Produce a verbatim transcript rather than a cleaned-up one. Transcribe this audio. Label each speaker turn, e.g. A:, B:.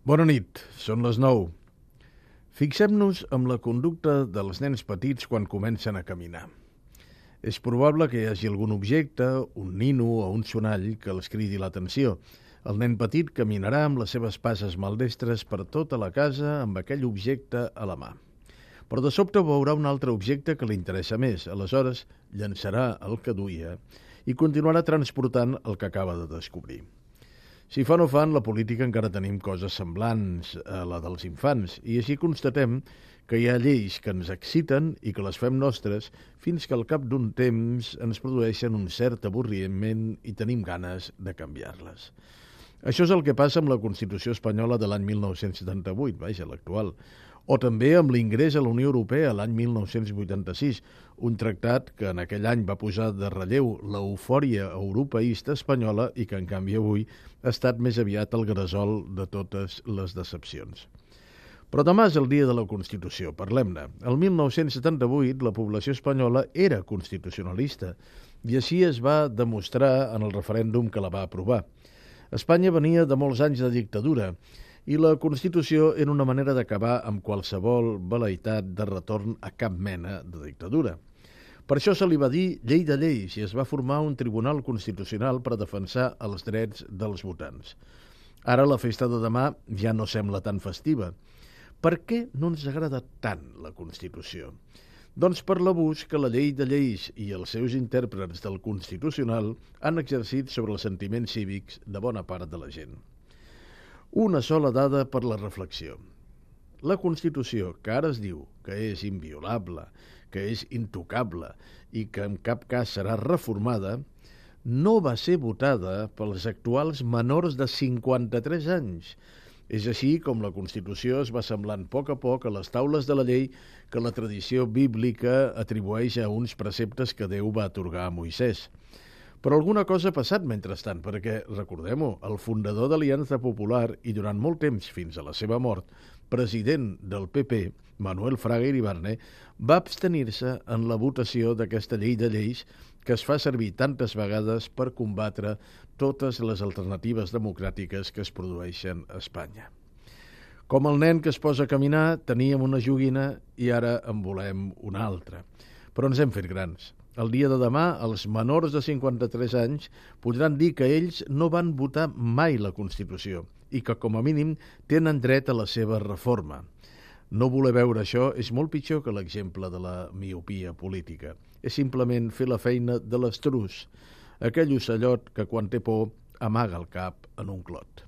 A: Bona nit, són les nou. Fixem-nos en la conducta dels nens petits quan comencen a caminar. És probable que hi hagi algun objecte, un nino o un sonall que els cridi l'atenció. El nen petit caminarà amb les seves passes maldestres per tota la casa amb aquell objecte a la mà. Però de sobte veurà un altre objecte que li interessa més. Aleshores, llançarà el que duia i continuarà transportant el que acaba de descobrir. Si fan o fan, la política encara tenim coses semblants a la dels infants i així constatem que hi ha lleis que ens exciten i que les fem nostres fins que al cap d'un temps ens produeixen un cert avorriment i tenim ganes de canviar-les. Això és el que passa amb la Constitució espanyola de l'any mil nou-cents setanta-vuit, vaja, l'actual, o també amb l'ingrés a la Unió Europea l'any mil nou-cents vuitanta-sis, un tractat que en aquell any va posar de relleu l'eufòria europeista espanyola i que, en canvi, avui ha estat més aviat el gresol de totes les decepcions. Però demà és el dia de la Constitució, parlem-ne. El mil nou-cents setanta-vuit la població espanyola era constitucionalista i així es va demostrar en el referèndum que la va aprovar. Espanya venia de molts anys de dictadura i la Constitució era una manera d'acabar amb qualsevol velaitat de retorn a cap mena de dictadura. Per això se li va dir llei de lleis i es va formar un tribunal constitucional per defensar els drets dels votants. Ara la festa de demà ja no sembla tan festiva. Per què no ens agrada tant la Constitució? Doncs per l'abús que la llei de lleis i els seus intèrprets del Constitucional han exercit sobre els sentiments cívics de bona part de la gent. Una sola dada per la reflexió. La Constitució, que ara es diu que és inviolable, que és intocable i que en cap cas serà reformada, no va ser votada pels actuals menors de cinquanta-tres anys. És així com la Constitució es va semblant a poc a poc a les taules de la llei que la tradició bíblica atribueix a uns preceptes que Déu va atorgar a Moisès. Però alguna cosa ha passat mentrestant, perquè, recordem-ho, el fundador d'Aliança Popular i durant molt temps, fins a la seva mort, president del P P, Manuel Fraga Iribarne, va abstenir-se en la votació d'aquesta llei de lleis que es fa servir tantes vegades per combatre totes les alternatives democràtiques que es produeixen a Espanya. Com el nen que es posa a caminar, teníem una joguina i ara en volem una altra. Però ens hem fet grans. El dia de demà, els menors de cinquanta-tres anys podran dir que ells no van votar mai la Constitució i que, com a mínim, tenen dret a la seva reforma. No voler veure això és molt pitjor que l'exemple de la miopia política. És simplement fer la feina de l'estrús, aquell ocellot que quan té por amaga el cap en un clot.